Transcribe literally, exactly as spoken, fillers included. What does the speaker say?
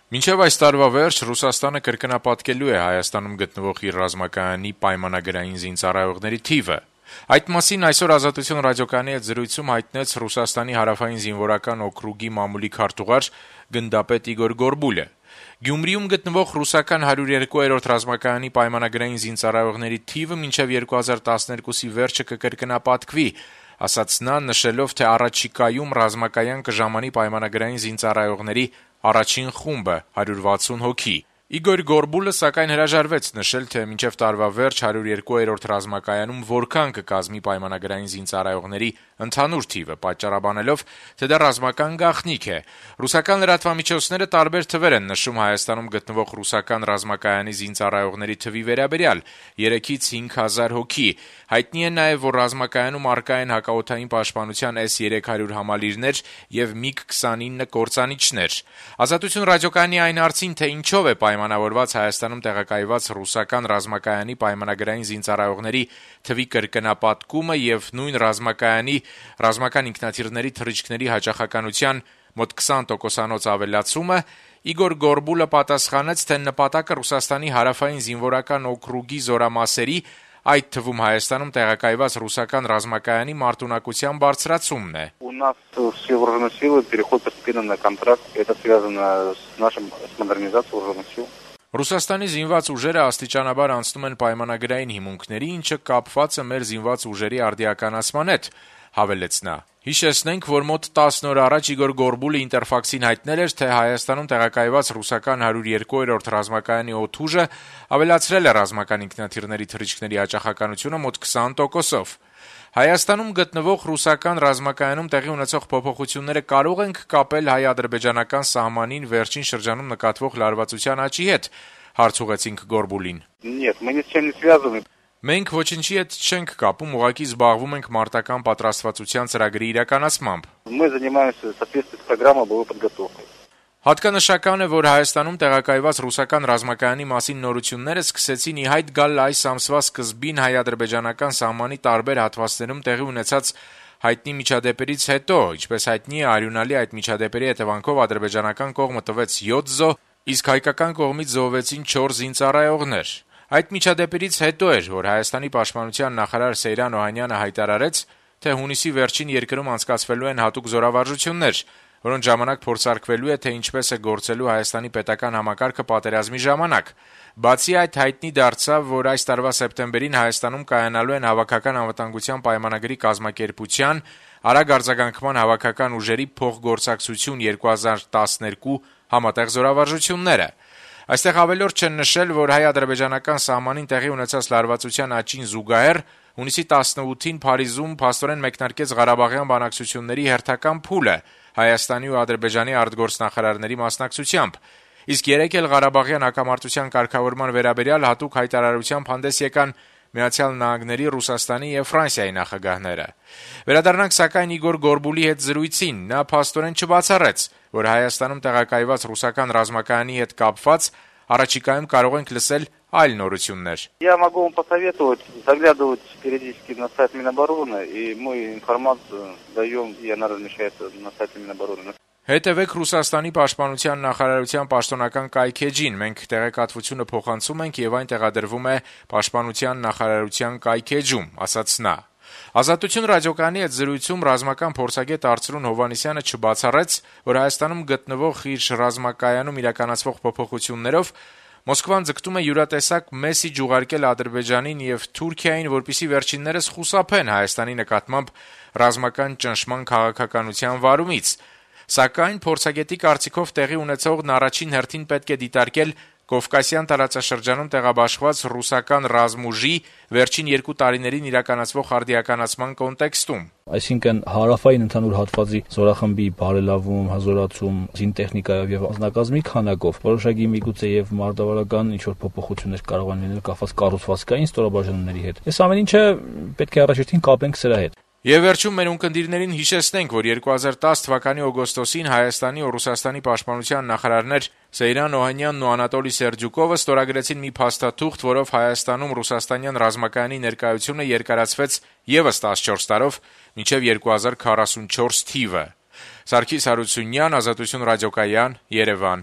Մինչև այս տարվա վերջ Ռուսաստանը կրկնապատկելու է Հայաստանում գտնվող իր ռազմակայանի պայմանագրային զինծառայողների թիվը։ Այդ մասին այսօր «Ազատություն» ռադիոկայանի հետ զրույցում հայտնեց Ռուսաստանի հարավային զինվորական օկրուգի մամուլի քարտուղար գնդապետ Իգոր Գորբուլը։ Գյումրիում գտնվող ռուսական հարյուր երկու-րդ ռազմակայանի պայմանագրային զինծառայողների թիվը մինչև երկու հազար տասներկուսի վերջը կկրկնապատկվի, ասաց նա, նշելով, թե առաջիկայում ռազմակայան կժամանի պայմանագրային զինծառայողների առաջին խումբը հարյուր վաթսուն հոգի։ Իգոր Գորբուլը սակայն հրաժարվեց նշել, թե մինչև տարվա վերջ հարյուր երկու-րդ ռազմակայանում որքան կկազմի պայմանագրային զինծառայողների ընդհանուր թիվը, պատճառաբանելով, թե դա ռազմական գաղտնիք է։ Ռուսական լրատվամիջոցները տարբեր թվեր են նշում Հայաստանում գտնվող ռուսական ռազմակայանի զինծառայողների թվի վերաբերյալ՝ երեքից հինգ հազար հոգի։ Հայտնի է նաև, որ ռազմակայանում առկա են հակաօդային պաշտպանության էս երեք հարյուր համալիրներ եւ միգ քսանինը կործանիչներ։ «Ազատություն» ռադիոկայանի այն հարցին, թե ինչով է պայմանավորված Հայաստանում տեղակայված ռուսական ռազմակայանի պայմանագրային զինծառայողների թվի կրկնապատկումը եւ նույն ռազմակայանի ռազմական ինքնաթիռների թռիչքների հաճախականության մոտ քսան տոկոսանոց ավելացումը, Իգոր Գորբուլը պատասխանեց, թե նպատակը Ռուսաստանի հարավային զինվորական օկրուգի զորամասերի, այդ թվում Հայաստանում տեղակայված ռուսական ռազմակայանի մարտունակության բարձրացումն է։ У нас все вооруженные силы переход постепенно на контракт. Это связано с нашим с модернизацией вооруженных сил. Ռուսաստանի զինված ուժերը աստիճանաբար անցնում են պայմանագրային հիմունքների, ինչը կապված է մեր զինված ուժերի արդիականացման հետ, հավելեց նա։ Հիշեցնենք, որ մոտ տասն օր առաջ Իգոր Գորբուլը Ինտերֆաքսին հայտնել էր, թե Հայաստանում տեղակայված ռուսական հարյուր երկու-րդ ռազմակայանի օդուժը ավելացրել է ռազմական ինքնաթիռների թռիչքների հաճախականությունը մոտ քսան տոկոսով։ Հայաստանում գտնվող ռուսական ռազմակայանում տեղի ունեցող փոփոխությունները կարող ենք կապել հայ-ադրբեջանական սահմանին վերջին շրջանում նկատվող լարվածության աճի հետ, հարց ուղղեցինք Գորբուլին։ Нет, мы ни с чем не связаны. Մենք ոչինչի հետ չենք կապում, ուղղակի զբաղվում ենք մարտական պատրաստվածության ծրագրի իրականացմամբ։ Мы занимаемся соответственно программой боевой подготовки. Հատկանշական է, որ Հայաստանում տեղակայված ռուսական ռազմակայանի մասին նորությունները սկսեցին ի հայտ գալ այս ամսվա սկզբին հայ-ադրբեջանական սահմանի տարբեր հատվածներում տեղի ունեցած հայտնի միջադեպերից հետո, ինչպես հայտնի է, արյունալի այդ միջադեպերի հետևանքով ադրբեջանական կողմը տվեց յոթ զոհ, իսկ հայկական կողմից զոհվեցին չորս զինծառայողներ։ Այդ միջադեպերից հետո էր, որ Հայաստանի պաշտպանության նախարար Սեյրան Օհանյանը հայտարարեց, թե հունիսի վերջին երկրում անցկացվելու են հատուկ զորավարժություններ, որոնց ժամանակ փորձարկվելու է, թե ինչպես է գործելու Հայաստանի պետական համակարգը պատերազմի ժամանակ։ Բացի այդ, հայտնի դարձավ, որ այս տարվա սեպտեմբերին Հայաստանում կայանալու են հավաքական անվտանգության պայմանագրի կազմակերպության արագ արձագանքման հավաքական ուժերի փոխգործակցություն երկու հազար տասներկու համատեղ զորավարժությունները։ Այստեղ ավելորդ չեն նշել, որ հայ-ադրբեջանական սահմանին տեղի ունեցած լարվածության աճին զուգահեռ հունիսի տասնութին Փարիզում փաստորեն մեկնարկեց Ղարաբաղյան բանակցությունների հերթական փուլը Հայաստանի ու Ադրբեջանի արտգործնախարարների մասնակցությամբ, իսկ երեկ էլ Ղարաբաղյան հակամարտության կարգավորման վերաբերյալ հատուկ հայտարարությամբ հանդես եկան Միացյալ Նահանգների, Ռուսաստանի եւ Ֆրանսիայի նախագահները։ Վերադառնանք սակայն Իգոր Գորբուլի հետ զրույցին, նա փաստորեն չբացառեց, որ Հայաստանում տեղակայված ռուսական ռազմակայանի հետ կապված առաջիկայում կարող ենք լսել այլ նորություններ։ Я могу вам посоветовать заглядывать периодически на сайт Минобороны, и мы информацию даем, и она размещается на сайте Минобороны. Հետևեք Ռուսաստանի պաշտպանության նախարարության պաշտոնական կայքեջին, մենք տեղեկատվությունը փոխանցում ենք եւ այն տեղադրվում է պաշտպանության նախարարության կայքեջում, ասաց նա։ «Ազատություն» ռադիոկայանի հետ զրույցում ռազմական փորձագետ Արծրուն Հովհաննիսյանը չբացառեց, որ Հայաստանում գտնվող իր ռազմակայանում իրականացվող փոփոխություններով Մոսկվան ձգտում է յուրատեսակ մեսիջ ուղարկել Ադրբեջանին եւ Թուրքիային, որպեսզի վերջիններս խուսափեն Հայաստանի նկատմամբ ռազմական ճնշման քաղաքականության վարումից։ Սակայն փորձագետի կարծիքով տեղի ունեցողն առաջին հերթին պետք է դիտարկել Կովկասյան տարածաշրջանում տեղաբաշխված ռուսական ռազմուժի վերջին երկու տարիներին իրականացվող արդիականացման կոնտեքստում։ Այսինքն հարավային ընդհանուր հատվածի զորախմբի բարելավում, հզորացում, զինտեխնիկայով եւ անձնակազմի քանակով որոշակի միգուցե եւ մարտավարական ինչ որ փոփոխություններ կարող են լինել կապված կառուցվածքային ստորաբաժանումների հետ։ Այս ամեն ինչը պետք է առաջերտին կապենք սրա հետ։ Եվ վերջում մեր ունկնդիրներին հիշեցնենք, որ երկու հազար տասը թվականի օգոստոսին Հայաստանի ու Ռուսաստանի պաշտպանության նախարարներ Սեյրան Օհանյանն ու Անատոլի Սերդյուկովը ստորագրեցին մի փաստաթուղթ, որով Հայաստանում ռուսաստանյան ռազմակայանի ներկայությունը երկարացվեց եւս տասնչորս տարով մինչեւ երկու հազար քառասունչորս թիվը։ Սարգիս Հարությունյան, Ազատություն ռադիոկայան, Երևան։